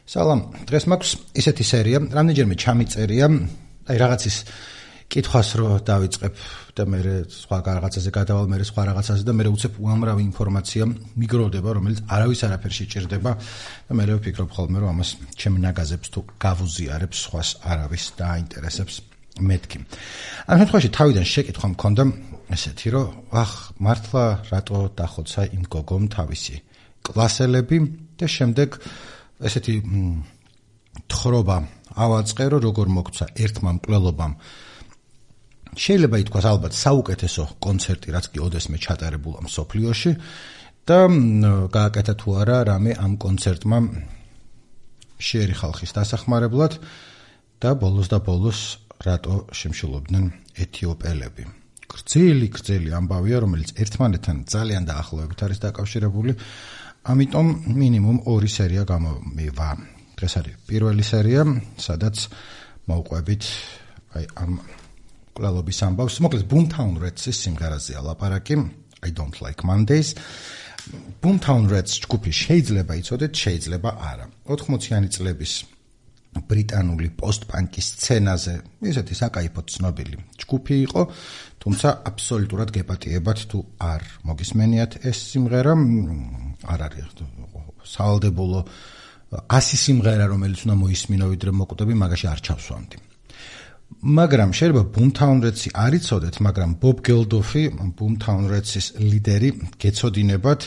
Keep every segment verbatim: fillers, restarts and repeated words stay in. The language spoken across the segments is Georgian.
სალამ, დღეს მაქვს ისეთი სერია, რამდენჯერმე ჩამიწერია, აი რაღაცის კითხვას რო დავიწყებ და მე სხვა რაღაცაზე გადავალ, მე სხვა რაღაცაზე და მე უცებ უამრავი ინფორმაცია მიგროვდება, რომელიც არავის არაფერში სჭირდება და მე ვფიქრობ ხოლმე, რომ ამას ჩემ ნაგაზებს თუ გავუზიარებს, სხვას არავის დააინტერესებს მეთქი. ამ შემთხვევაში თავიდან შეკითხვა მქონდა ესეთი, რომ ახ, მართლა რატო დახოცა იმ გოგომ თავისი კლასელები და შემდეგ ესეთი თხრობა ავაწყე, რომ როგორ მოგცა ერთმა მკვლელობამ შეიძლება ითქვას ალბათ საუკეთესო კონცერტი, რაც კი ოდესმე ჩატარებულა მსოფლიოში და გააკეთა თუ არა რამე ამ კონცერტმა შეერი ხალხის დასახმარებლად და ბოლოს და ბოლოს რატო შემშილობდნენ ეთიოპელები. გრძელი გრძელი ამბავია, რომელიც ერთმანეთთან ძალიან დაახლოებით არის დაკავშირებული, ამიტომ მინიმუმ ორი სერია გამომივა. დღეს არის პირველი სერია, სადაც მოვყვებით აი ამ კლალობის ამბავს. მოკლედ Boomtown Rats-ის სიმღერაზეა ლაპარაკი, I don't like Mondays. Boomtown Rats ჯგუფი შეიძლება იცოდეთ, შეიძლება არა. ოთხმოციანი წლების ბრიტანული პოსტ-პანკის სცენაზე ისეთი საკაიფოდ ცნობილი ჯგუფი იყო, თუმცა აბსოლუტურად გეპატიებათ თუ არ მოგისმენიათ ეს სიმღერა, არ არის სავალდებულო ასი სიმღერა, რომელიც უნდა მოისმინო ვიდრე მოკვდები, მაგაში არ ჩავსვამდი. მაგრამ შეიძლება Boomtown Rats-ი არ იცოდეთ, მაგრამ Bob Geldof-ი, Boomtown Rats-ის ლიდერი, გეცოდინებათ,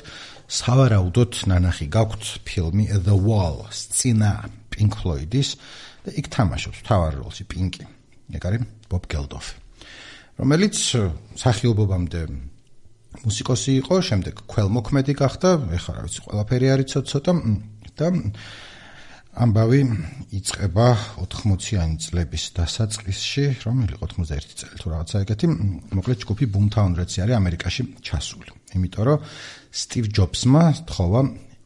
სავარაუდოდ ნანახი გაქვთ ფილმი The Wall, სცენა Pink Floyd-ის და იქ თამაშობს მთავარ როლში პინკი. ეგ არის Bob Geldof, რომელიც სახიობობამდე მუსიკოსი იყო, შემდეგ ქველმოქმედი გახდა, ეხლა რა ვიცი, ყველაფერი არის ცოტა და ამბავი იწყება ოთხმოციანი წლების დასაწყისში, რომელი ოთხმოცდაერთი წელი თუ რაღაცა ეგეთი, მოკლედ ჯგუფი Boomtown Rats-ი არის ამერიკაში ჩასული. იმიტომ რომ Steve Jobs-მა თხოვა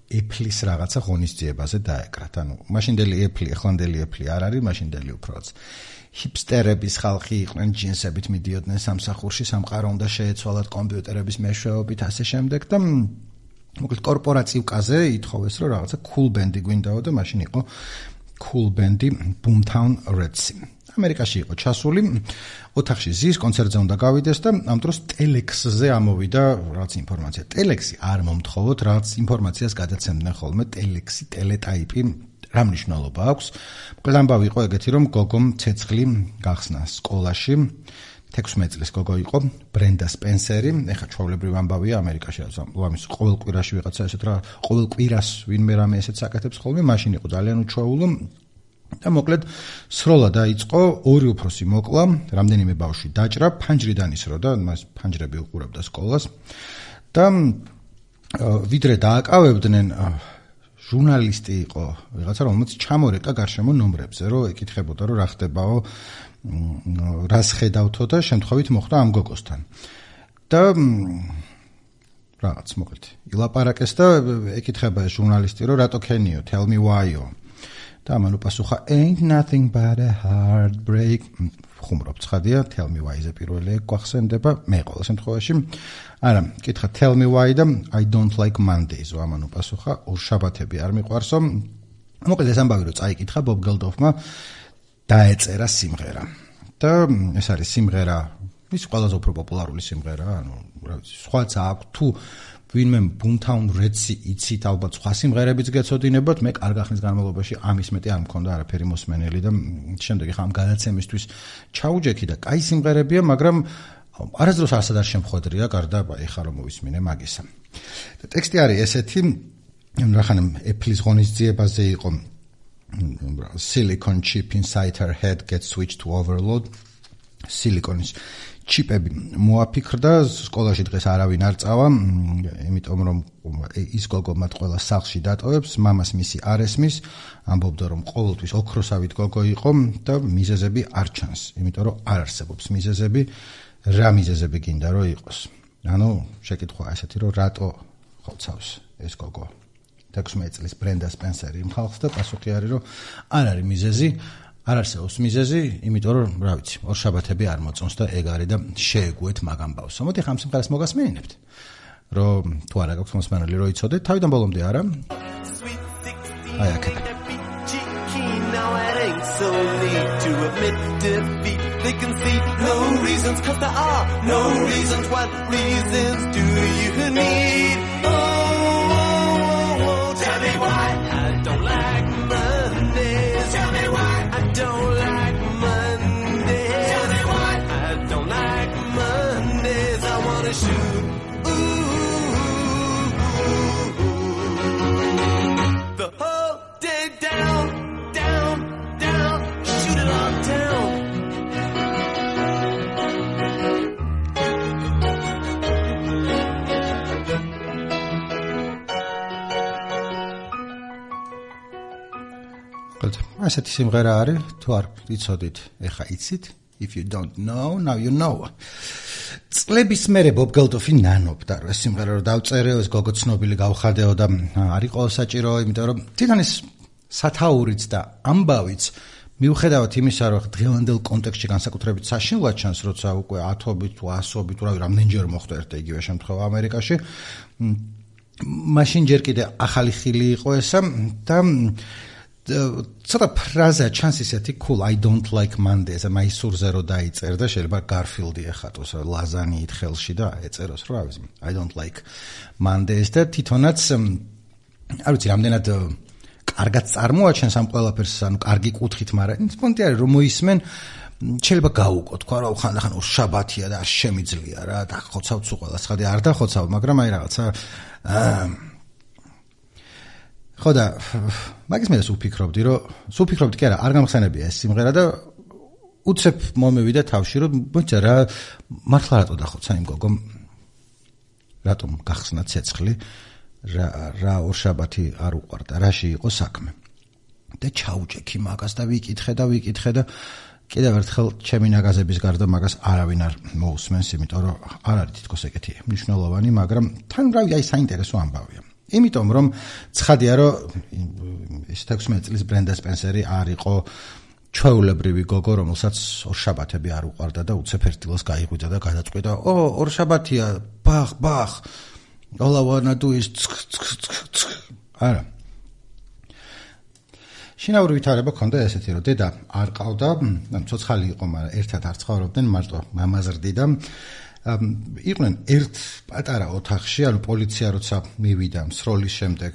Apple-ის რაღაცა ღონისძიებაზე დაეკრათ. ანუ მაშინდელი Apple, ახლანდელი Apple არ არის, მაშინდელი უფრო ჰიპსტერების ხალხი იყვნენ, ჯინსებით მიდიოდნენ სამსახურში, სამყარო უნდა შეეცვალათ კომპიუტერების მეშვეობით, ასე შემდეგ და მოკლედ კორპორაციულ კაზე ითხოვეს, რომ რაღაცა cool band-ი გვინდაო და მაშინ იყო cool band-ი Boomtown Rats-ი. ამერიკაში იყო ჩასული, ოთახში ზის, კონცერტზე უნდა გავიდეს და ამ დროს ტელექსზე ამოვიდა რაღაც ინფორმაცია. ტელექსი არ მომთხოვოთ, რაღაც ინფორმაციას გადაცემდნენ ხოლმე, ტელექსი, ტელეტაიპი, რა მნიშვნელობა აქვს. მოკლედ ამბავი იყო ეგეთი, რომ გოგომ ცეცხლი გახსნა სკოლაში. თექვსმეტ წლის გოგო იყო ბრენდა სპენსერი, ეხა ჩვეულებრივ ამბავია ამერიკაში, ამის ყოველ კვირაში ვიღაცა ესეთ რა, ყოველ კვირას ვინმე რამე ესეთ საკეთებს ხოლმე, მაშინ იყო ძალიან უჩვეულო და მოკლედ სროლა დაიწყო, ორი უფროსი მოკლა, რამდენიმე ბავშვი დაჭრა, ფანჯრიდან ისრო და მას ფანჯრები უყურებდა სკოლას და ვიდრე დააკავებდნენ ჟურნალისტი იყო ვიღაცა, რომელიც ჩამორეკა გარშემო ნომრებზე, რომ ეკითხებოდა, რომ რა ხდებაო, რას ხედავთო და შემთხვევით მოხდა ამ გოგოსთან. და რაღაც მოკლედ ილაპარაკეს და ეკითხება ჟურნალისტი, რომ რატო ქენიო, tell me why-ო. და ამან უპასუხა ain't nothing but a heartbreak. ხუმრობ ცხადია, tell me why-ზე პირველი გვახსენდება, მე ყოველ შემთხვევაში. არა, კითხა tell me why და I don't like Mondays. ამან უპასუხა, ორშაბათები არ მიყვარსო. მოკლედ ეს ამბავი რომ წაიკითხა Bob Geldof-მა დაეწერა სიმღერა. და ეს არის სიმღერა, ის ყველაზე უფრო პოპულარული სიმღერა, ანუ რა ვიცი, სხვაც აქვს თუ ვინმე Boomtown Rats-ი იცით, ალბათ სხვა სიმღერებიც გეცოდინებათ, მე კარგ ახლის განმავლობაში ამის მეტი არ მქონდა არაფერი მოსმენელი და შემდეგ ხა ამ გადაცემისთვის ჩაუჯექი და კაი სიმღერებია, მაგრამ არასდროს არასად არ შემხვედრია, გარდა ეხა რომ მოვისმინე მაგისა. და ტექსტი არის ესეთი, რახან Apple-ის ღონისძიებაზე იყო silicon chip inside her head gets switched to overload. Siliconis ჩიპები მოაფიქრდა, სკოლაში დღეს არავინ არ წავა, იმიტომ რომ ის გოგო მათ ყველა სახლში დატოვებს, მამას მისი არ ესმის, ამბობდა რომ ყოველთვის ოქროსავით გოგო იყო და მიზეზები არ ჩანს, იმიტომ რომ არ არსებობს მიზეზები, რა მიზეზები გინდა რომ იყოს. ანუ შეკითხვა ესეთი რომ რატო ხოცავს ეს გოგო თექვსმეტ წლის ბრენდა სპენსერი იმ ხალხს და პასუხი არის რომ არ არის მიზეზი, არ არსებობს მიზეზი, იმიტომ რომ რა ვიცი, ორშაბათები არ მოწონს და ეგ არის და შეეგუეთ მაგ ამბავს. მოდი ხამ სიმღერას მოგასმენინებთ. რომ თუ არა გაქვს მოსმენელი რომ იცოდეთ, თავიდან ბოლომდე არა. აი აქეთ. admit defeat. They can see no reasons, cause there are no reasons. What reasons do you need? Oh, oh, oh, oh, tell me why I don't like Mondays. Tell me why I don't like Mondays. Tell me why I don't like Mondays. I wanna shoot. The whole day down, down, down, shoot it all down. Good. ასეთი სიმღერა არის, თუ არ იცოდით, ეხა იცით. If you don't know, now you know. წლების მერე ბობ გელდოფი ნანობდა, რომ ეს სიმღერა რომ დავწერეო, ეს გოგო ცნობილი გავხადეო და არ იყო საჭირო, იმიტომ რომ თვითონ ეს სათაურიც და ამბავიც მიუხედავად იმისა, რომ დღევანდელ კონტექსტში განსაკუთრებით საშინლად ჩანს, როცა უკვე ათობით თუ ასობით თუ რავი რამდენჯერ მოხდა ერთ და იგივე შემთხვევა ამერიკაში, მაშინ ჯერ კიდე ახალი ხილი იყო ესა და ცოტა ფრაზა ჩანს ისეთი cool I don't like Mondays და მაისურზე რო დაიწერდა შეიძლება გარფილდი ეხატოს ლაზანიით ხელში და ეწეროს რა ვიცი I don't like Mondays და თვითონაც არ ვიცი რამდენად კარგად წარმოაჩენს ამ ყველაფერს ანუ კარგი კუთხით მაგრამ პონტი არის რომ მოისმენ შეიძლება გაუყო თქვა რა ხანდახან შაბათია და არ შემიძლია რა დახოცავთ სულ ყველას ხადი არ დახოცავ მაგრამ აი რაღაცა ხო და მაგის მე სულ ფიქრობდი რომ სულ ფიქრობდი კი არა არ გამხსენებია ეს სიმღერა და უცებ მომევიდა თავში რომ მოიცა რა მართლა რატო დახოცა იმ გოგომ რატომ გახსნა ცეცხლი რა რა ორშაბათი არ უყვარდა რაში იყო საქმე და ჩაუჭექი მაგას და ვიკითხე და ვიკითხე და კიდევ ერთხელ ჩემი ნაგაზების გარდა მაგას არავინ არ მოусმენს იმიტომ რომ არ არის თითქოს ეგეთი მნიშვნელოვანი მაგრამ თან რავი აი საინტერესო ამბავია იმიტომ რომ ცხადია რომ ეს თექვსმეტ წლის ბრენდა სპენსერი არ იყო ჩვეულებრივი გოგო რომელსაც ორშაბათები არ უყვარდა და უცებ ერთ დილას გაიღვიძა და გადაწყვიტა ო ორშაბათია ბახ ბახ all I wanna do is არა შინაური ვითარება ქონდა ესეთი რომ დედა არ ყავდა ან ცოცხალი იყო მაგრამ ერთად არ ცხოვრობდნენ მარტო მამაზრდი და იყვნენ ერთ პატარა ოთახში, ანუ პოლიცია როცა მივიდა სროლის შემდეგ,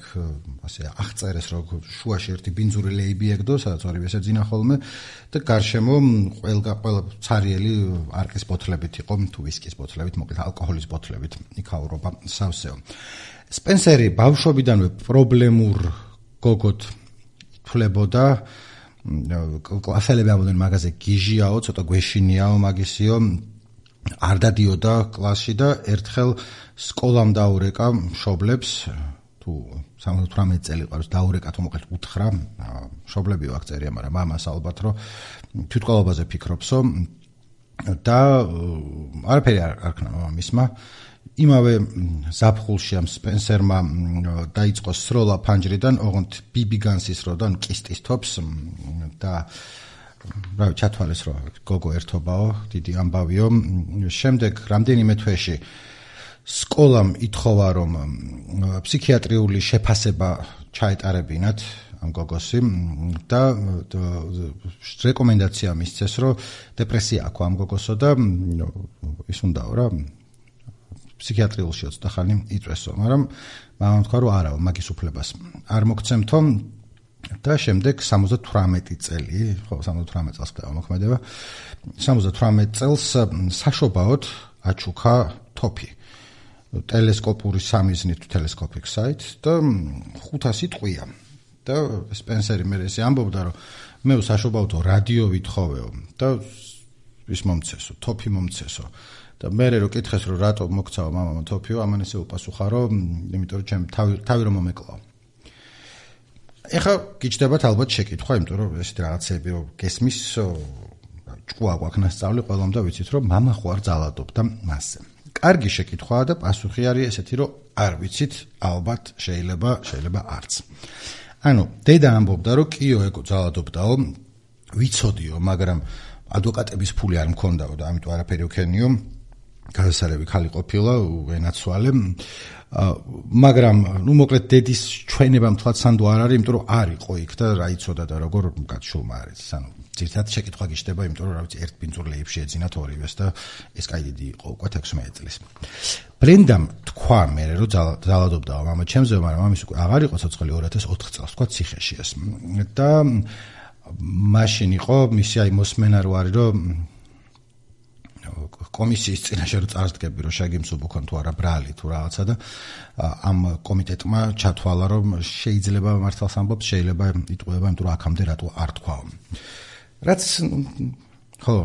ასე აღწერეს რომ შუაში ერთი ბინძური ლეიბი ეგდო, სადაც ორივე შეძინა ხოლმე და გარშემო ყველა ყველა ცარიელი არყის ბოთლებით იყო, თუ ვისკის ბოთლებით, მოკლედ ალკოჰოლის ბოთლებით იქაურობა სავსეო. სპენსერი ბავშვობიდანვე პრობლემურ გოგოთ ითვლებოდა, კლასელები ამბობდნენ მაგაზე გიჟიაო, ცოტა გვეშინიაო მაგისიო არ დადიოდა კლასში და ერთხელ სკოლამ დაურეკა მშობლებს თუ სამოცდაოთხმეტ წელი ყავს დაურეკა თუ მოკლედ უთხრა მშობლებიო აქ წერია მაგრამ მამას ალბათ რომ თვითყოლობაზე ფიქრობსო და არაფერი არ არქნა მამისმა იმავე ზაფხულში ამ სპენსერმა დაიწყო სროლა ფანჯრიდან ოღონდ ბიბი განსის როდან კისტის თოფს და რა ჩათვალეს რომ გოგო ერთობაო დიდი ამბავიო შემდეგ რამდენიმე თვეში სკოლამ ითხოვა რომ ფსიქიატრიული შეფასება ჩაეტარებინათ ამ გოგოსი და რეკომენდაცია მისცეს რომ დეპრესია აქვს ამ გოგოსო და ის უნდაო რა ფსიქიატრიულში ცოტა ხანი იწვესო მაგრამ მამამ თქვა რომ არაო მაგის უფლებას არ მოგცემთო და შემდეგ სამოცდათვრამეტი წელი, ხო, სამოცდათვრამეტ წელს ხდება მოქმედება. სამოცდათვრამეტ წელს საშობაოდ აჩუქა თოფი. ტელესკოპური სამიზნით telescopic sight და ხუთასი ტყვია. და სპენსერი მე ესე ამბობდა რომ მე საშობაოდ რადიო ვითხოვეო და ის მომცესო, თოფი მომცესო. და მე რო კითხეს რომ რატო მოგცავა მამამა თოფიო, ამან ესე უპასუხა რომ იმიტომ რომ ჩემ თავი თავი რომ მომეკლაო. ეხა გიჩნდებათ ალბათ შეკითხვა, იმიტომ რომ ეს რაღაცები გესმის ჭკუა გვაქვს ნასწავლი ყველამ და ვიცით რომ მამა ხო არ ძალადობდა მასზე. კარგი შეკითხვაა და პასუხი არის ესეთი რომ არ ვიცით, ალბათ შეიძლება შეიძლება არც. ანუ დედა ამბობდა რომ კიო ეგო ძალადობდაო, ვიცოდიო, მაგრამ ადვოკატების ფული არ მქონდაო და ამიტომ არაფერი ვქენიო. გასარევი ხალი ყოფილა, ენაცვალე. მაგრამ, ნუ მოკლედ დედის ჩვენება მთლად სანდო არ არის, იმიტომ რომ არ იყო იქ და რა იცოდა და როგორ გაცშულმა არის. ანუ ძირთად შეკითხვა გიშდება, იმიტომ რომ რა ვიცი, ერთ ბინძურლეებში ეძინათ ორივეს და ეს კაი დიდი იყო უკვე ექვსმეტი წლის. ბრენდამ თქვა მე რომ ძალადობდაო მამა ჩემზე, მაგრამ ამის უკვე აღარ იყო ცოცხალი ორი ათას ოთხ წელს, თქვა ციხეში ეს. და მაშინ იყო მისი აი მოსმენა რო არის რომ კომისიის წინაშე რო წარსდგები რომ შეგიმსუბუქონ თუ არა ბრალი თუ რაღაცა და ამ კომიტეტმა ჩათვალა რომ შეიძლება მართალს ამბობს შეიძლება იტყუება იმიტომ რომ აქამდე რატო არ თქვაო რაც ხო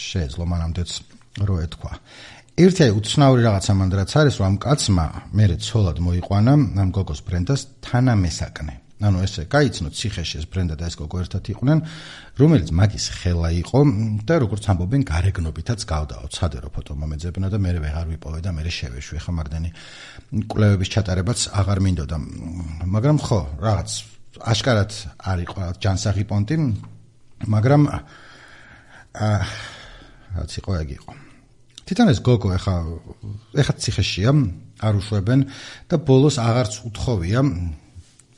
შეეძლო მანამდეც რო ეთქვა ერთი აი უცნაური რაღაცა მანდ რაც არის რომ ამ კაცმა მერე ცოლად მოიყვანა ამ გოგოს ბრენდას თანამესაკნე ანუ ესე გაიცნო ციხეში ეს ბრენდა და ეს გოგო ერთად იყვნენ რომელიც მაგის ხელა იყო და როგორც ამბობენ გარეგნობითაც გავდაო ცადე რო ფოტო მომეძებნა და მე ვეღარ ვიპოვე და მე შევეშვი ხა მაგდენი კვლევების ჩატარებაც აღარ მინდოდა მაგრამ ხო რაღაც აშკარად არ იყო ჯანსაღი პონტი მაგრამ აა რაც იყო ეგ იყო თვითონ ეს გოგო ეხა ეხა ციხეშია არ უშვებენ და ბოლოს აღარც უთხოვია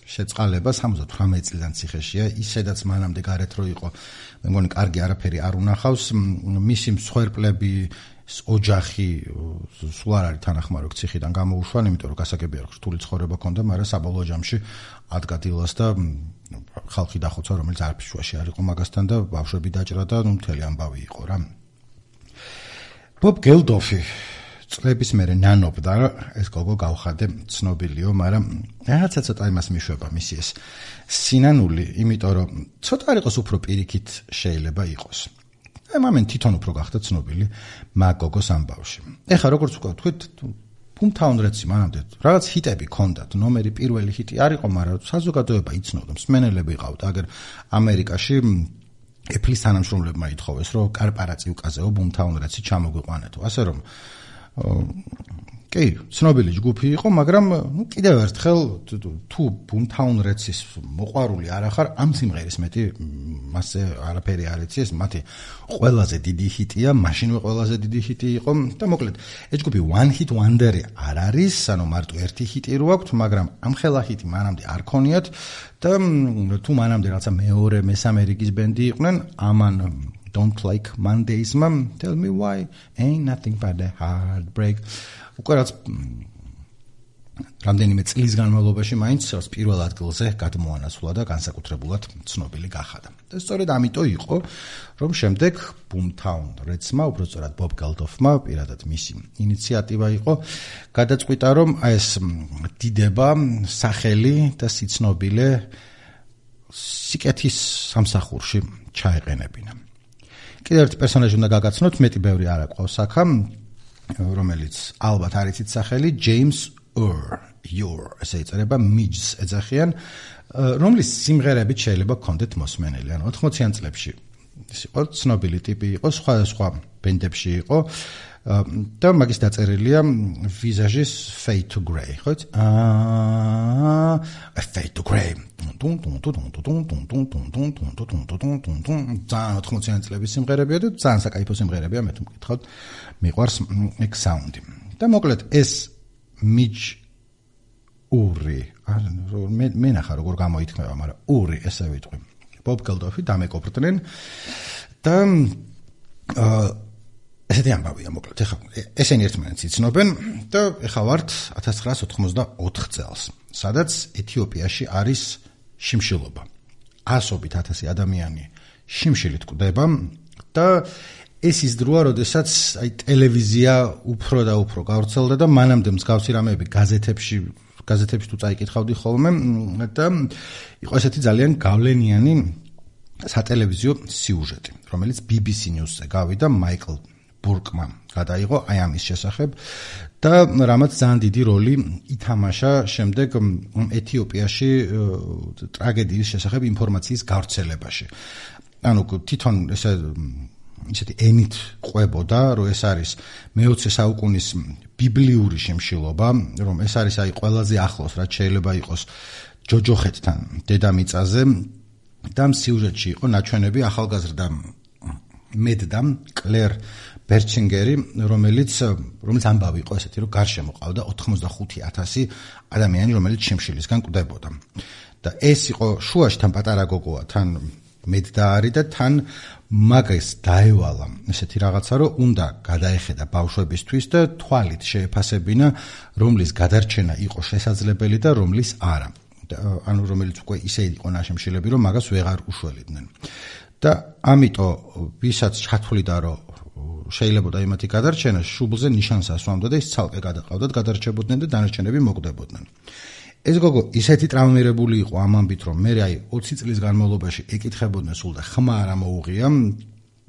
შეწყალება სამოცდათვრამეტი წლიდან ციხეშია ისედაც მანამდე გარეთ რო იყო მე მგონი კარგი არაფერი არ უნახავს მისი მსხვერპლები ოჯახი სულ არ არის თანახმაროქ ციხიდან გამოუშვან იმიტომ რომ გასაგებია რომ რთული ცხოვრება ჰქონდა მაგრამ საბოლოო ჯამში ადგა დილას და ხალხი დახოცა რომელიც არაფერ შუაში არ იყო მაგასთან და ბავშვები დაჭრა და ნუ მთელი ამბავი იყო რა ბობ გელდოფი წლების მერე ნანობდა ეს გოგო გავხადე ცნობილიო, მაგრამ რაღაცა ცოტა იმას მიშვება მისი ეს სინანული, იმიტომ რომ ცოტა არ იყოს უფრო პირიქით შეიძლება იყოს. აი მამენ თვითონ უფრო გახდა ცნობილი მაგ გოგოს ამბავში. ეხა როგორც ვთქვით, Boomtown Rats მანამდე რაღაც ჰიტები ქონდათ, ნომერი პირველი ჰიტი არ იყო, მაგრამ საზოგადოება იცნობდა, მსმენელები ყავდა, აგერ ამერიკაში Apple-ის თანამშრომლებმა ითხოვეს, რომ კარპარაციუკაზეო Boomtown Rats-ი ჩამოგვიყვანეთო, ასე რომ კი, ცნობილი ჯგუფი იყო, მაგრამ ნუ კიდევ ერთხელ თუ Boomtown Rats-ის მოყვარული არ ახარ, ამ სიმღერის მეტი მასე არაფერი არ იცი, ეს მათი ყველაზე დიდი ჰიტია, მაშინვე ყველაზე დიდი ჰიტი იყო და მოკლედ ეს ჯგუფი One Hit Wonder-ი არ არის, ანუ მარტო ერთი ჰიტი რო აქვთ, მაგრამ ამ ხელა ჰიტი მანამდე არ ქონიათ და თუ მანამდე რაღაცა მეორე, მესამე რიგის ბენდი იყვნენ, ამან Don't like Mondays, mom. Tell me why. Ain't nothing but a heartbreak. უკვე რაც რამდენიმე წლის განმავლობაში მაინც პირველ ადგილზე გადმოანაცვლა და განსაკუთრებულად ცნობილი გახადა. და სწორედ ამიტომ იყო, რომ შემდეგ Boomtown Rats-მა, უბრალოდ Bob Geldof-მა, პირადად მისი ინიციატივა იყო, გადაწყვიტა, რომ ეს დიდება, სახელი და სიცნობილე სიკეთის სამსახურში ჩაეყენებინა. კიდევ ერთი პერსონაჟი უნდა გაგაცნოთ, მეტი ბევრი არ აყვავს აქა, რომელიც ალბათ არ იცით სახელი James Ur, Ur, ესე იწერება Midge ეძახიან, რომლის სიმღერებით შეიძლება გქონდეთ მოსმენელი, ანუ ოთხმოციან წლებში. ის იყო ცნობილი ტიპი იყო, სხვადასხვა ბენდებში იყო და მაგის დაწერილია ვიზაჟის Fade to Grey, ხო? აა Fade to Grey. ტუნ ტუნ ტუნ ტუნ ტუნ ტუნ ტუნ ტუნ ტუნ ტუნ ტუნ ტუნ ტუნ ტუნ ძალიან ოთხმოციანი წლების სიმღერებია და ძალიან საკაიფო სიმღერებია, მე თუ მკითხავთ, მიყვარს ეგ საუნდი. და მოკლედ ეს Midge Uri, მე მე ნახა როგორ გამოითქმება, მაგრამ Uri ესე ვიტყვი. Bob Geldof-ი დამეკოპრდნენ და აა ესეთი ამბავია მოკლედ. ეხლა ესენი ერთმანეთს იცნობენ და ეხლა ვართ ათას ცხრაას ოთხმოცდაოთხ წელს, სადაც ეთიოპიაში არის შიმშილობა. ასობით ათასი ადამიანი შიმშილით კვდება და ეს ის დროა, როდესაც აი ტელევიზია უფრო და უფრო გავრცელდა და მანამდე მსგავსი რამეები გაზეთებში გაზეთებში თუ წაიკითხავდი ხოლმე და იყო ესეთი ძალიან გავლენიანი სატელევიზიო სიუჟეტი, რომელიც B B C News-ზე გავიდა მაიკლ ბურკმა გადაიღო აი ამის შესახებ და რამაც ძალიან დიდი როლი ითამაშა შემდეგ ეთიოპიაში ტრაგედიის შესახებ ინფორმაციის გავრცელებაში. ანუ თვითონ ესე ისეთი ენით ყვებოდა, რომ ეს არის მეოცე საუკუნის ბიბლიური შიმშილობა, რომ ეს არის აი ყველაზე ახლოს, რაც შეიძლება იყოს ჯოჯოხეთთან დედამიწაზე და სიუჟეტში იყო ნაჩვენები ახალგაზრდა მედდამ კლერ ბერჩინგერი, რომელიც რომელიც ამბავი იყო ესეთი, რომ გარშემო ყავდა ოთხმოცდახუთი ათასი ადამიანი, რომელიც შიმშილისგან კვდებოდა. და ეს იყო შუაში თან პატარა გოგოა, თან მედდაარი და თან მაგას დაევალა ესეთი რაღაცა, რომ უნდა გადაეხედა ბავშვებისთვის და თვალით შეეფასებინა, რომლის გადარჩენა იყო შესაძლებელი და რომლის არა. ანუ რომელიც უკვე ისე იყო ნაშემშილები, რომ მაგას ვეღარ უშველიდნენ. და ამიტომ ვისაც ჩათვლიდა, რომ შეიძლებოდა იმათი გადარჩენა, შუბლზე ნიშანს ასვამდა და ის ცალკე გადაყავდათ, გადარჩებოდნენ და დანარჩენები მოკვდებოდნენ. ეს გოგო ისეთი ტრაუმირებული იყო ამ ამბით, რომ მე აი ოცი წლის განმავლობაში ეკითხებოდნენ სულ და ხმა არ ამოუღია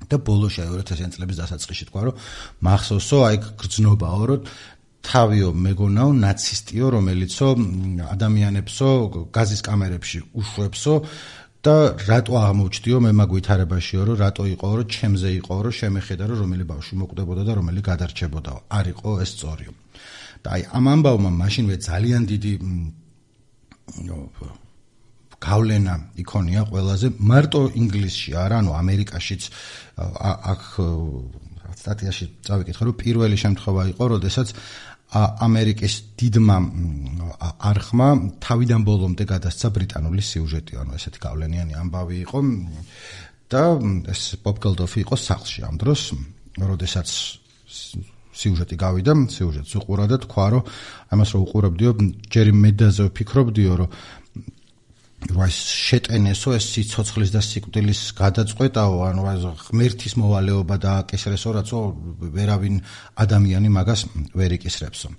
და ბოლოში აი ორი ათასიანი წლების დასაწყისში თქვა, რომ მახსოვსო აი გრძნობაო, რომ თავიო მეგონაო ნაცისტიო, რომელიცო ადამიანებსო გაზის კამერებში უშვებსო და რატო აღმოჩდიო მე მაგ ვითარებაშიო, რომ რატო იყო, რომ ჩემზე იყო, რომ შემეხედა, რომ რომელი ბავშვი მოკვდებოდა და რომელი გადარჩებოდაო. არ იყო ეს სწორიო. და აი ამ ამბავმა მაშინვე ძალიან დიდი გავლენა იქონია ყველაზე, მარტო ინგლისში არა, ანუ ამერიკაშიც აქ სტატიაში წავიკითხე, რომ პირველი შემთხვევა იყო, როდესაც ამერიკის დიდმა არხმა თავიდან ბოლომდე გადასცა ბრიტანული სიუჟეტი, ანუ ესეთი გავლენიანი ამბავი იყო და ეს ბობ გელდოფი იყო სახლში ამ დროს, როდესაც სიუჟეტი გავიდა, სიუჟეტს უყურა და თქვა, რომ ამას რო უყურებდიო, ჯერი მედაზე ვფიქრობდიო, რომ რა შეტენესო ეს სიცოცხლის და სიკვდილის გადაწყვეტაო, ანუ ღმერთის მოვალეობა და აკისრესო, რაცო ვერავინ ადამიანი მაგას ვერ იკისრებსო.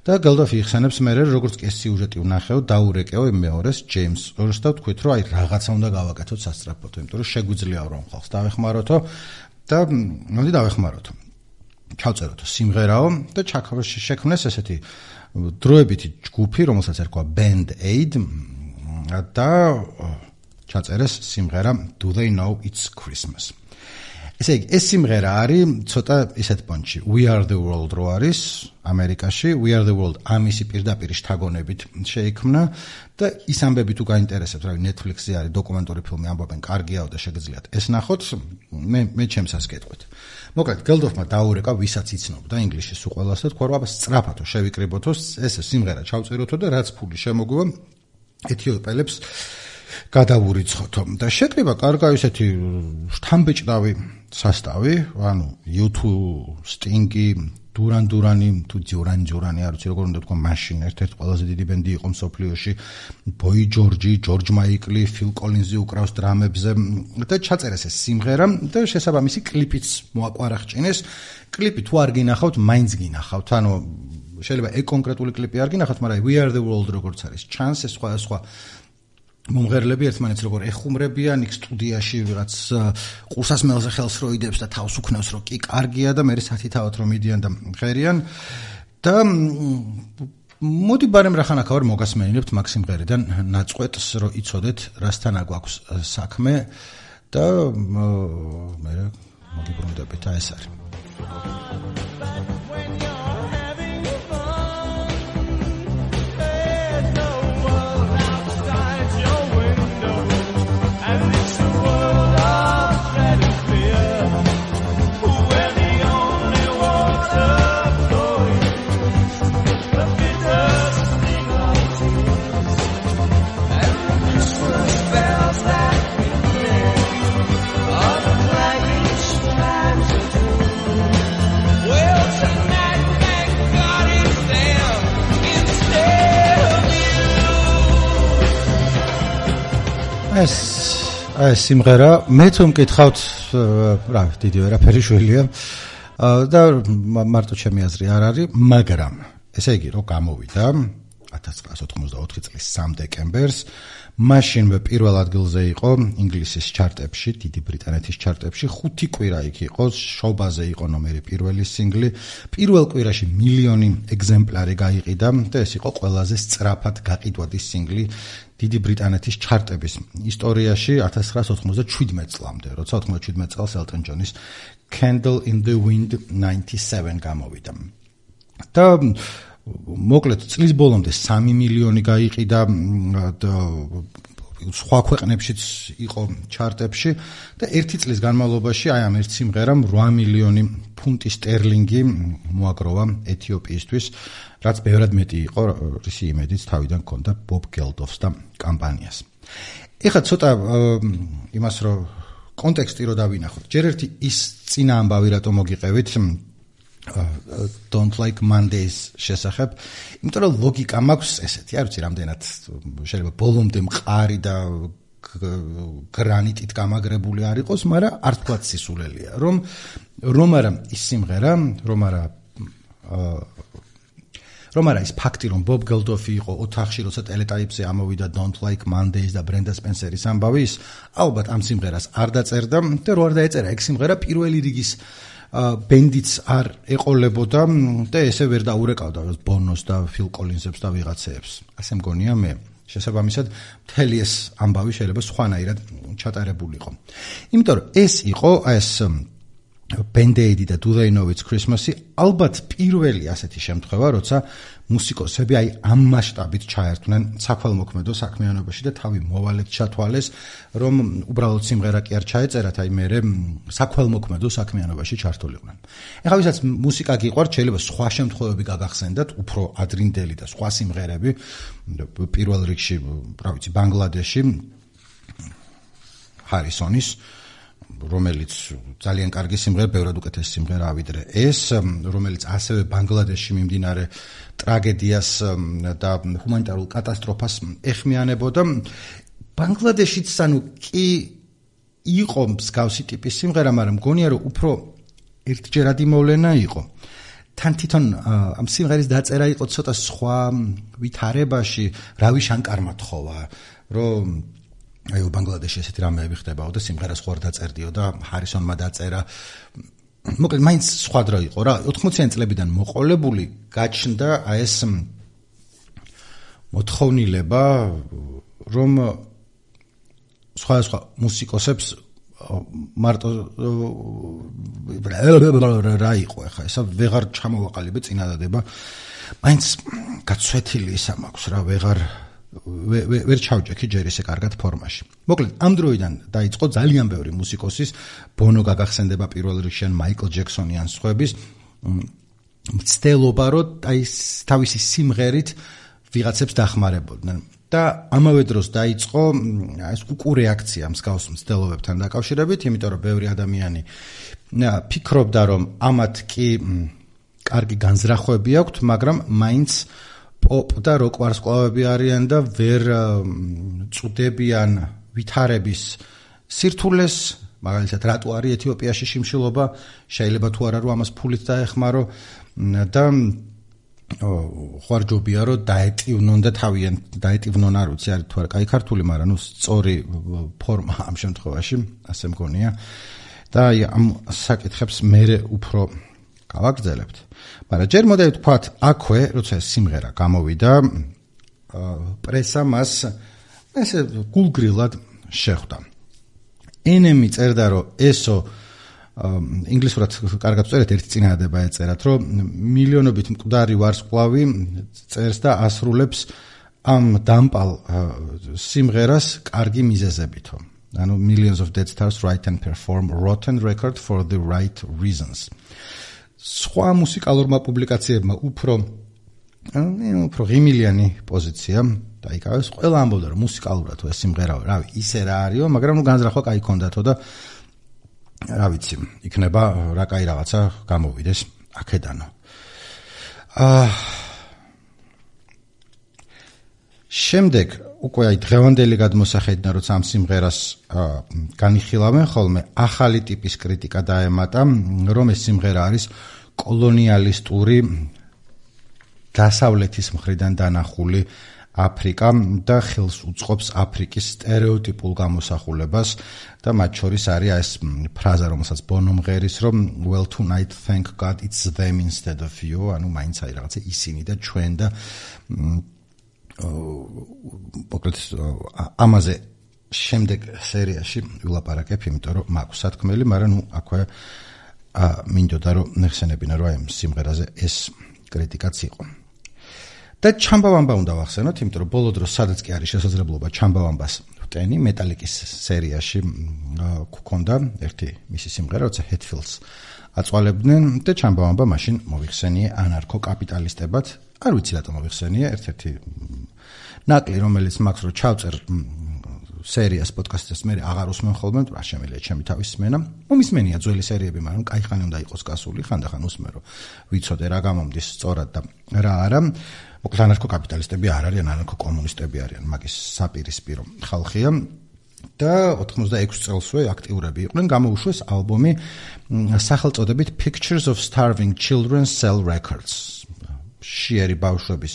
და გელდოფი იხსენებს მე, როგორც კი ეს სიუჟეტი ვნახეო, დაურეკეო იმ მეორეს ჯეიმს ორს და ვთქვით, რომ აი რაღაცა უნდა გავაკეთოთ სასწრაფოდ, იმიტომ რომ შეგვიძლია რომ ხალხს დავეხმაროთო და მოდი დავეხმაროთო. ჩავწეროთ სიმღერაო და შექმნეს ესეთი დროებითი ჯგუფი, რომელსაც ერქვა Band Aid და ჩაწერეს სიმღერა Do They Know It's Christmas. ესე იგი, ეს სიმღერა არის ცოტა ისეთ პონჩი. We Are The World რო არის ამერიკაში, We Are The World ამისი პირდაპირ შთაგონებით შეიქმნა და ის ამბები თუ გაინტერესებთ, რავი, Netflix-ზე არის დოკუმენტური ფილმი, ამბობენ, კარგიაო და შეგიძლიათ ეს ნახოთ, მე მე ჩემსას გეტყვით. მოკლედ, გელდოფმა დაურეკა, ვისაც იცნობდა ინგლისში სულ ყველას და თქვა, რომ აბა სწრაფათო შევიკრიბოთო, ეს სიმღერა ჩავწეროთო და რაც ფული შემოგვივა ეთიოპელებს გადავურიცხოთო. და შეკრიბა კარგა ისეთი შთამბეჭდავი სასტავი, ანუ იუ თუ, Sting-ი, Duran Duran-ი, თუ Duran Duran-ი, არ ვიცი როგორ უნდა თქვა, მაშინ ერთ-ერთი ყველაზე დიდი ბენდი იყო მსოფლიოში, Boy George, George Michael, Phil Collins-ი უკრავს დრამებზე და ჩაწერეს ეს სიმღერა და შესაბამისი კლიპიც მოაყვარახჭინეს. კლიპი თუ არ გინახავთ, მაინც გინახავთ, ანუ შეიძლება ეგ კონკრეტული კლიპი არ გინახავთ, მაგრამ We Are The World როგორც არის, ჩანს ეს სხვა სხვა მომღერლები ერთმანეთს როგორ ეხუმრებიან, იქ სტუდიაში რაც ყურსასმელზე ხელს როიდებს და თავს უქნევს, რომ კი კარგია და მე სათითაოდ რომ მიდიან და მღერიან და მოდი ბარემ რახანაკა ვარ მოგასმენინებთ მაგ სიმღერიდან ნაწყვეტს, რომ იცოდეთ რასთან აგვაქვს საქმე და მე მოგიბრუნდებით, აი ეს არის. ეს ეს სიმღერა მე თუ მკითხავთ, რა დიდი ვერაფერი შვილია და მარტო ჩემი აზრი არ არის, მაგრამ ესე იგი რომ გამოვიდა ათას ცხრაასი ოთხმოცდაოთხი წლის სამი დეკემბერს, მაშინვე პირველ ადგილზე იყო ინგლისის ჩარტებში, დიდი ბრიტანეთის ჩარტებში, ხუთი კვირა იქ იყო, შობაზე იყო ნომერი პირველი სინგლი, პირველ კვირაში მილიონი ეგზემპლარი გაიყიდა და ეს იყო ყველაზე სწრაფად გაყიდვადი სინგლი დიდი ბრიტანეთის ჩარტების ისტორიაში ათას ცხრაასი ოცდაშვიდმეტ წლამდე, როცა ოცდაშვიდმეტ წელს Elton John-ის Candle in the Wind ნაინტი-სევენ გამოვიდა. და მოკლედ წლის ბოლომდე სამი მილიონი გაიყიდა და სხვა ქვეყნებშიც იყო ჩარტებში და ერთი წლის განმავლობაში აი ამ ერთ სიმღერამ ორი მილიონი ფუნტი სტერლინგი მოაგროვა ეთიოპიისთვის, რაც ბევრად მეტი იყო, რისი იმედიც თავიდან ჰქონდა ბობ გელდოფს და კამპანიას. ეხლა ცოტა იმას რომ კონტექსტი რო დავინახოთ. ჯერ ერთი ის წინა ამბავი რატომ მოგიყევით Don't Like Mondays შესახებ, იმიტომ რომ ლოგიკა მაქვს ესეთი, არ ვიცი რამდენად შეიძლება ბოლომდე მყარი და გრანიტით გამაგრებული არ იყოს, მაგრამ არ თქვა სისულელია, რომ რომ არა ის სიმღერა, რომ არა რომ არა ის ფაქტი, რომ ბობ გელდოფი იყო ოთახში, როცა ტელეტაიპზე ამოვიდა Don't Like Mondays და ბრენდა სპენსერის ამბავი, ის ალბათ ამ სიმღერას არ დაწერდა და რო არ დაეწერა ეგ სიმღერა პირველი რიგის ბენდიც არ ეყოლებოდა და ესე ვერ დაურეკავდა ბონოს და ფილ კოლინზებს და ვიღაცეებს. ასე მგონია მე. შესაბამისად, მთელი ეს ამბავი შეიძლება სხვანაირად ჩატარებულიყო. იმიტომ რომ ეს იყო ეს Band-Aid და Do They Know It's Christmas-ი ალბათ პირველი ასეთი შემთხვევა, როცა მუსიკოსები აი ამ მასშტაბით ჩაერთვნენ საქველმოქმედო საქმიანობაში და თავი მოვალედ ჩათვალეს, რომ უბრალოდ სიმღერა კი არ ჩაეწერათ, აი მერე საქველმოქმედო საქმიანობაში ჩართულიყვნენ. ეხლა ვისაც მუსიკა გიყვართ, შეიძლება სხვა შემთხვევები გაგახსენდათ, უფრო ადრინდელი და სხვა სიმღერები, პირველ რიგში, რა ვიცი, ბანგლადეში ჰარისონის, რომელიც ძალიან კარგი სიმღერა, ბევრად უკეთესი სიმღერაა ვიდრე ეს, რომელიც ასევე ბანგლადეშში მიმდინარე ტრაგედიას და ჰუმანიტარულ კატასტროფას ეხმიანებოდა. ბანგლადეშიც ანუ კი იყო მსგავსი ტიპის სიმღერა, მაგრამ მგონია რომ უფრო ერთჯერადი მოვლენა იყო. თან თვითონ ამ სიმღერის დაწერა იყო ცოტა სხვა ვითარებაში, რავი შანკარმა თხოვა, რომ აი ბანგლადეშში ესეთი რამეები ხდებაო და სიმღერას ხوار დაწერდიო და ჰარისონმა დაწერა. მოკლედ მაინც სხვა დრო იყო რა. ოთხმოციანი წლებიდან მოყოლებული გაჩნდა აი ეს მოთხოვნილება, რომ სხვა სხვა მუსიკოსებს მარტო რა იყო ახლა ესა ვეღარ ჩამოვაყალიბე წინადადება. მაინც გაცვეთილი ისა მაქვს რა, ვეღარ ვერ ჩავჭექი ჯერ ისე კარგად ფორმაში. მოკლედ, ამ დროიდან დაიწყო ძალიან ბევრი მუსიკოსის, ბონო გაგახსენდება პირველ რიგში, მაიკლ ჯექსონი ან სხვების მცდელობა, რომ აი თავისი სიმღერით ვიღაცებს დახმარებოდნენ. და ამავე დროს დაიწყო ეს უკუ რეაქცია მსგავს მცდელობებთან დაკავშირებით, იმიტომ რომ ბევრი ადამიანი ფიქრობდა, რომ ამათ კი კარგი განზრახვები აქვთ, მაგრამ მაინც პოპ და როკ ვარსკვლავები არიან და ვერ წუდებიან ვითარების სირთულეს, მაგალითად რატო არის ეთიოპიაში შიმშილობა, შეიძლება თუ არა რომ ამას ფულით დაეხმარო და ხوارჯობია რომ დაეტივნონ და თავიანთ დაეტივნონ არ ვიცი არის თუ არა კაი ქართული, მაგრამ ნუ სწორი ფორმა ამ შემთხვევაში, ასე მგონია. და ამ საკითხებს მე უფრო გავაგრძელებთ. მაგრამ ჯერ მოდი ვთქვათ, აქვე, როცა ეს სიმღერა გამოვიდა, პრესა მას ესე გულგრილად შეხვდა. ენემი წერდა, რომ ესო ინგლისურად კარგად წერეთ, ერთი წინადადება ეწერათ, რომ მილიონობით მკვდარი ვარსკვლავი წერს და ასრულებს ამ დამპალ სიმღერას კარგი მიზეზებითო. ანუ millions of dead stars write and perform rotten record for the right reasons. სხვა მუსიკალურმა პუბლიკაციებმა უფრო უფრო ღიმილიანი პოზიცია დაიკავეს. ყველა ამბობდა, რომ მუსიკალურად ეს სიმღერა, რავი, ისე რა არისო, მაგრამ ნუ განზრახვა კაი ქონდათო და რა ვიცი, იქნება რა კაი რაღაცა გამოვიდეს აქედანო. აა შემდეგ უკვე აი დღევანდელი გადმოსახედიდან, როცა ამ სიმღერას განიხილავენ ხოლმე, ახალი ტიპის კრიტიკა დაემატა, რომ ეს სიმღერა არის კოლონიალისტური დასავლეთის მხრიდან დანახული აფრიკა და ხელს უწყობს აფრიკის სტერეოტიპულ გამოსახულებას და მათ შორის არის ეს ფრაზა, რომელსაც ბონო მღერის, რომ well tonight thank God it's them instead of you, ანუ მაინც აი რაღაცა ისინი და ჩვენ და მოკლედ ამაზე შემდეგ სერიაში ვილაპარაკებ, იმიტომ რომ მაქვს სათქმელი, მაგრამ ნუ აქვე მინდოდა რომ ნახსენებინა რომ აი სიმღერაზე ეს კრიტიკაც იყო. და ჩამბავამბა უნდა ვახსენოთ, იმიტომ რომ ბოლო დროს სადაც კი არის შესაძლებლობა ჩამბავამბას ტენი მეტალიკის სერიაში გქონდა ერთი მისი სიმღერა, როცა Hetfields აწვალებდნენ და ჩამბავამბა მაშინ მოიხსენიე ანარქო-კაპიტალისტებად. არ ვიცი რატომ მოიხსენიე, ერთ-ერთი ნაკლი, რომელიც მაქვს რო ჩავწერ სერიას პოდკასტის მე აღარ უსმენ ხოლმე, რა შემიძლია ჩემი თავის სმენა. მომისმენია ძველი სერიები, მაგრამ კაიხანი უნდა იყოს გასული, ხანდახან უსმენ რომ ვიცოდე რა გამომდის სწორად და რა არა. მოკლედ ანარქო-კაპიტალისტები არ არიან, ანარქო-კომუნისტები არიან, მაგის საპირისპირო ხალხია. და ოთხმოცდაექვსი წელსვე აქტიურები იყვნენ, გამოუშვეს ალბომი სახელწოდებით Pictures of Starving Children Sell Records. შიერი ბავშვების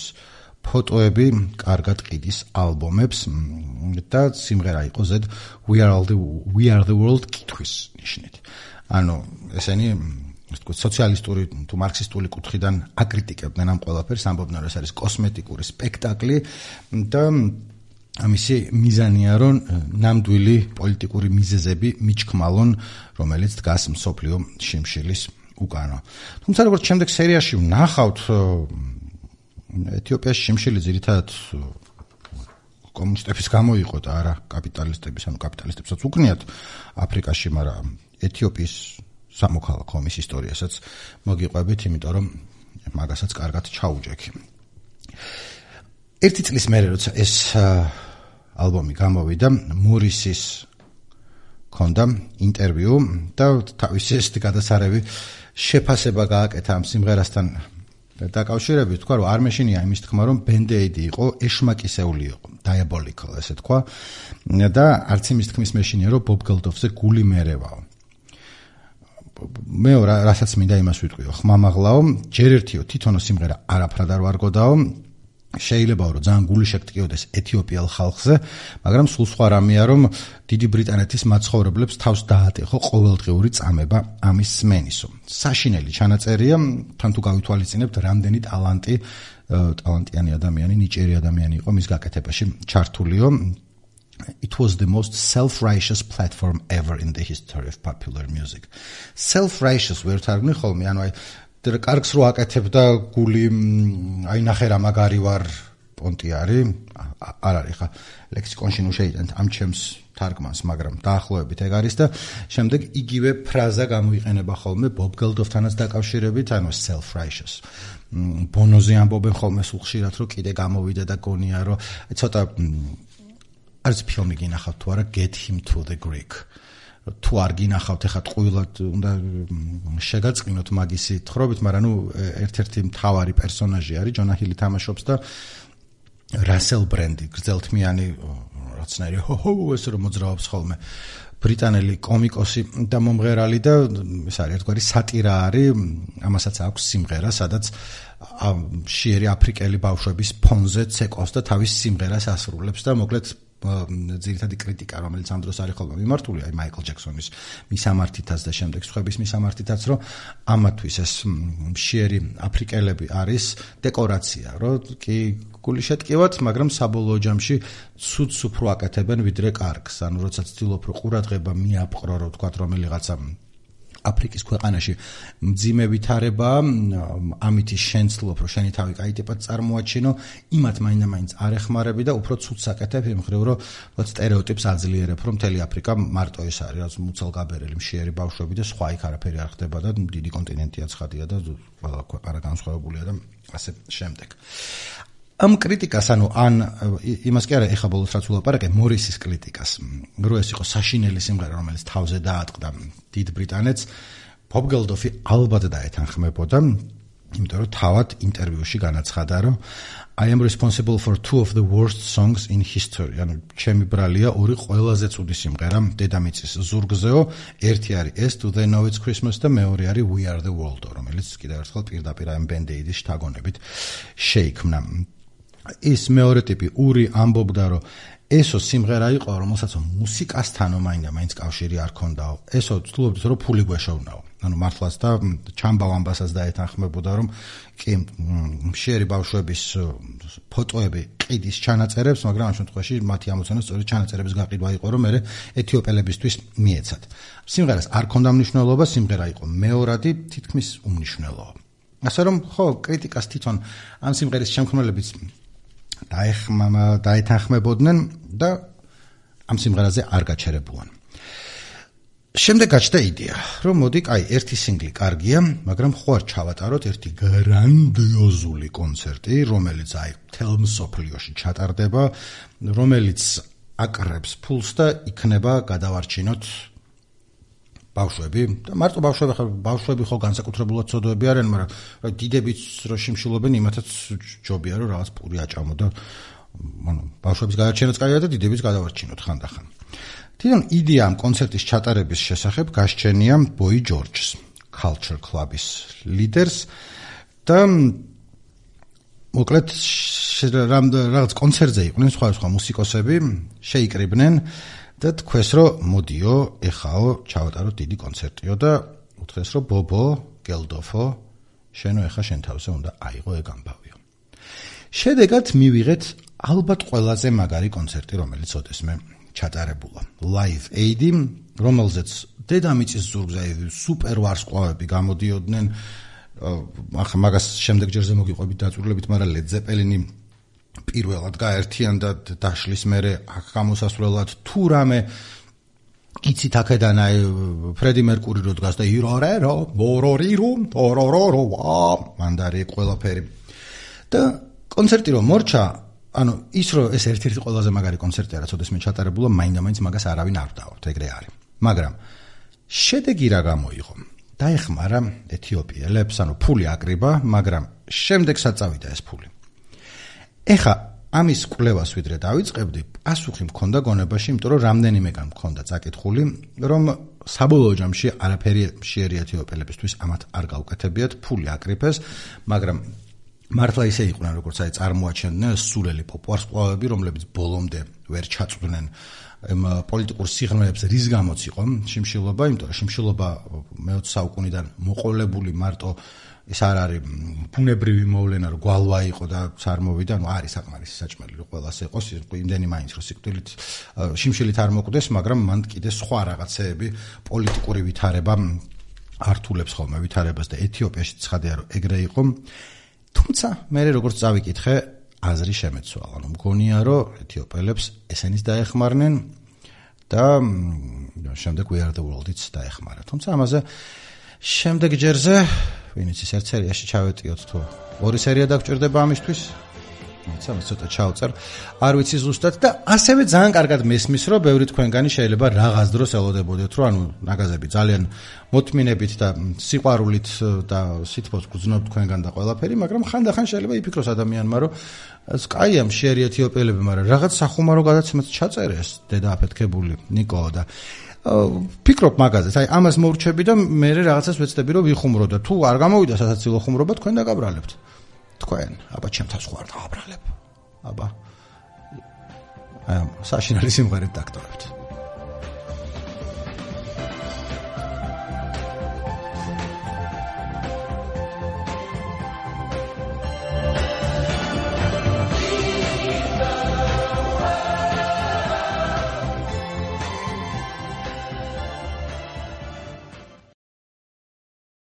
ფოტოები კარგად ყიდის ალბომებს და სიმღერა იყო ზედ We are all the We are the world კითხვის ნიშნით. ანუ ესენი ასე ვთქვათ სოციალისტური თუ მარქსისტული კუთხიდან აკრიტიკებდნენ ამ ყველაფერს, ამბობდნენ რომ ეს არის კოსმეტიკური სპექტაკლი და ამისი მიზანია რომ ნამდვილი პოლიტიკური მიზეზები მიჩქმალონ, რომელიც დგას მსოფლიო შიმშილის უკანო. თუმცა როგორც შემდეგ სერიაში ვნახავთ, ეთიოპიაში შიმშილი ძირითადად კომუნისტების გამო იყო და არა კაპიტალისტების, ანუ კაპიტალისტებსაც უკნიათ აფრიკაში, მაგრამ ეთიოპიის სამოქალაქო ომის ისტორიასაც მოგიყვებით, იმიტომ რომ მაგასაც კარგად ჩაუჯექი. ერთი წლის მერე როცა ეს ალბომი გამოვიდა, მორისის ქონდა ინტერვიუ და თავისი ეს გადასარევი შეფასება გააკეთა ამ სიმღერასთან დაკავშირებით, თქვა რომ არ მეშინია იმის თქმა რომ ბენდეიდი იყო ეშმაკისეული იყო, diabolical ესე თქვა და არც იმის თქმის მეშინია რომ ბობ გელდოფზე გული მერევაო. მე რასაც მინდა იმას ვიტყვიო, ხმამაღლაო, ჯერ ერთიო თვითონო სიმღერა არაფრად არ ვარგოდაო, შეიძლება რომ ძალიან გული შეგტკიოდეს ეთიოპიელ ხალხზე, მაგრამ სულ სხვა რამეა რომ დიდი ბრიტანეთის მაცხოვრებლებს თავს დაატეხო ყოველდღიური წამება ამის სმენისო. საშინელი ჩანაწერია, თან თუ გავითვალისწინებთ, რამდენი ტალანტი, ტალანტიანი ადამიანი, ნიჭიერი ადამიანი იყო მის გაკეთებაში ჩართულიო. It was the most self-righteous platform ever in the history of popular music. Self-righteous ვერ თარგმნი ხოლმე, ანუ აი კარგს რო აკეთებ და გული აი ნახე რა მაგარი ვარ პონტი არის, არ არის ხა ლექსიკონში ნუ შეიტანთ ამ ჩემს თარგმანს, მაგრამ დაახლოებით ეგ არის და შემდეგ იგივე ფრაზა გამოიყენება ხოლმე ბობ გელდოფთანაც დაკავშირებით, ანუ self-righteous. ბონოზე ამბობენ ხოლმე სულ ხშირად რომ კიდე გამოვიდა და გონია რომ ცოტა არის ფილმი გინახავთ თუ არა Get Him to the Greek. თუ არ გინახავთ ეხლა ტყუილად უნდა შეგაწყინოთ მაგისი თხრობით, მაგრამ ნუ ერთ-ერთი მთავარი პერსონაჟი არის, ჯონა ჰილი თამაშობს და რასელ ბრენდი, გრძელთმიანი რაცნაირი ჰო-ჰო ეს რომ მოძრაობს ხოლმე, ბრიტანელი კომიკოსი და მომღერალი და ეს არის ერთგვარი სატირა არის, ამასაც აქვს სიმღერა, სადაც შიერი აფრიკელი ბავშვების ფონზე ცეკავს და თავის სიმღერას ასრულებს და მოკლედ ძირითადი კრიტიკა, რომელიც ამ დროს არის ხოლმე მიმართული, აი მაიკლ ჯექსონის მისამართითაც და შემდეგ სხვების მისამართითაც, რომ ამათვის ეს მშიერი აფრიკელები არის დეკორაცია, რომ კი გული შეტკივათ, მაგრამ საბოლოო ჯამში ცუდს უფრო აკეთებენ ვიდრე კარგს. ანუ როცა ცდილობ რომ ყურადღება მიაპყრო, რომ თქვათ რომელიღაცა აფრიკის ქვეყანაში მძიმე ვითარება, ამითი შენ ცდილობ რომ შენი თავი კაი ტიპად წარმოაჩინო, იმათ მაინდა-მაინც არ ეხმარები და უფრო ცუდს აკეთებ იმ მხრივ რომ სტერეოტიპს აძლიერებ, რომ მთელი აფრიკა მარტო ეს არის, რაც მუცელგაბერელი მშიერი ბავშვები და სხვა იქ არაფერი არ ხდება და დიდი კონტინენტია ცხადია და ყველა ქვეყანა განსხვავებულია და ასე შემდეგ. ამ კრიტიკას, ანუ ან იმას კი არა, ეხა ბოლოს რაც ვლაპარაკე, მორისის კრიტიკას, რო ეს იყო საშინელი სიმღერა, რომელიც თავზე დაატყდა დიდ ბრიტანეთს, ბობ გელდოფი ალბათ დაეთანხმებოდა, იმიტომ რომ თავად ინტერვიუში განაცხადა, რომ I am responsible for two of the worst songs in history. ანუ ჩემი ბრალია ორი ყველაზე ცუდი სიმღერა დედამიწის ზურგზეო, ერთი არის ეს To They Know It's Christmas და მეორე არის We Are the World, რომელიც კიდევ ერთხელ პირდაპირ ამ ბენდეიდის შთაგონებით შეიქმნა. ის მეორე ტიპი ური ამბობდა, რომ ესო სიმღერა იყო, რომელსაც მუსიკასთანო მაინდა-მაინც კავშირი არ ქონდაო. ესო ცდილობდით, რომ ფული გვეშოვნაო. ანუ მართლაც და ჩამბავ ამბასაც დაეთანხმებოდა, რომ კი მშიერი ბავშვების ფოტოები ყიდის ჩანაწერებს, მაგრამ ამ შემთხვევაში მათი ამოცანა სწორედ ჩანაწერების გაყიდვა იყო, რომ მე ეთიოპელებისთვის მიეცათ. სიმღერას არ ქონდა მნიშვნელობა, სიმღერა იყო მეორადი, თითქმის უმნიშვნელოა. ასე რომ ხო, კრიტიკას თვითონ ამ სიმღერის შემქმნელებიც დაეხმამა დაეთანხმებოდნენ და ამ სიმღერაზე არ გაჩერებულან. შემდეგ გაჩნდა იდეა, რომ მოდი, აი, ერთი სინგლი კარგია, მაგრამ ხო არ ჩავატაროთ ერთი გრანდიოზული კონცერტი, რომელიც აი, მთელ მსოფლიოში ჩატარდება, რომელიც აკრებს ფულს და იქნება გადავარჩინოთ ბავშვები და მარტო ბავშვები ხო ბავშვები ხო განსაკუთრებულად ცოდვები არიან, მაგრამ დიდებიც რო შიმშილობენ, იმათაც ჯობია რომ რაღაც პური აჭამო და ანუ ბავშვების გადარჩენაც კაია და დიდებიც გადავარჩინოთ ხანდახან. თვითონ იდეა ამ კონცერტის ჩატარების შესახებ გასჩენია ბოი ჯორჯს, Culture Club-ის ლიდერს და მოკლედ რაღაც კონცერტზე იყვნენ სხვა მუსიკოსები, შეიკრიბნენ და თქვეს რომ მოდიო, ეხაო, ჩავატაროთ დიდი კონცერტიო და უთხრეს რომ ბობო, გელდოფო, შენო ეხა შენ თავზე უნდა აიღო ეგ ამბავიო. შედეგად მივიღეთ ალბათ ყველაზე მაგარი კონცერტი, რომელიც ოდესმე ჩატარებულა. Live Aid, რომელზეც დედამიწის ზურგზე სუპერ ვარსკვლავები გამოდიოდნენ. ახლა მაგას შემდეგ ჯერზე მოგიყვებით დაწვრილებით, მაგრამ Led Zeppelin პირველად გაერთიანდა დაშლის მერე აქ გამოსასვლელად თუ რამე იცით აქედან აი ფრედი მერკური რო დგას და ირორერო მორორირო ტორორორო მანდარი ყველაფერი და კონცერტი რომ მორჩა ანუ ის რომ ეს ერთ-ერთი ყველაზე მაგარი კონცერტია რაც ოდესმე ჩატარებულა მაინდა-მაინც მაგას არავინ არ დავართ ეგრე არის მაგრამ შედეგი რა გამოიღო დაეხმარა ეთიოპიელებს ანუ ფული აკრიბა მაგრამ შემდეგსაც წავიდა ეს ფული ეხა ამის კვლევას ვიდრე დავიწყებდი, პასუხი მქონდა გონებაში, იმიტომ რომ რამდენიმეგან მქონდა წაკითხული, რომ საბოლოო ჯამში არაფერი შეერი ეთიოპიელებისთვის ამათ არ გაუკეთებიათ, ფული აკრიფეს, მაგრამ მართლა ისე იყვნენ, როგორც აი წარმოაჩენდნენ სულელი პოპვარსკვლავები, რომლებიც ბოლომდე ვერ ჩაწვდნენ ამ პოლიტიკურ სიღრმეებს რის გამოც იყო შიმშილობა, იმიტომ რომ შიმშილობა მეოცე საუკუნიდან მოყოლებული მარტო ის არ არის ბუნებრივი მოვლენა რომ გვალვა იყო და არ მოვიდა, ანუ არის საკმარისი საჭმელი რომ ყველას ეყოს, იმდენი მაინც რომ სიკვდილით შიმშილით არ მოკვდეს, მაგრამ მან კიდე სხვა რაღაცეები პოლიტიკური ვითარება ართულებს ხოლმე ვითარებას და ეთიოპიაში ცხადია რომ ეგრე იყო. თუმცა მე როგორც წავიკითხე, აზრი შემეცვალა, ანუ მგონია რომ ეთიოპიელებს ესენიც დაეხმარნენ და შემდეგ We Are The World-იც დაეხმარა. თუმცა ამაზე შემდეგ ჯერზე ვინც ის ერთ სერიაში ჩავეტიოთ თუ ორი სერია დაგჭირდება ამისთვის თუმცა მე ცოტა ჩავწერ არ ვიცი ზუსტად და ასევე ძალიან კარგად მესმის რომ ბევრი თქვენგანი შეიძლება რაღაც დროს ელოდებოდეთ რომ ანუ ნაგაზები ძალიან მოთმინებით და სიყვარულით და სითბოს გძნობთ თქვენგან და ყველაფერი მაგრამ ხანდახან შეიძლება იფიქროს ადამიანმა რომ კაია მშიერი ეთიოპიელები მაგრამ რაღაც სახუმარო გადაცემაც ჩაწერეს დედა აფეთქებული ნიკო და ფიქრობ მაგაზეც, აი ამას მოვრჩები და მე რაღაცას ვეცდები რომ ვიხუმრო და თუ არ გამოვიდა სასაცილო ხუმრობა თქვენ დაგაბრალებთ. თქვენ, აბა ჩემთავს ხო არ დავაბრალებ. აბა. აი საშინელი სიმღერით დაგტოვებთ.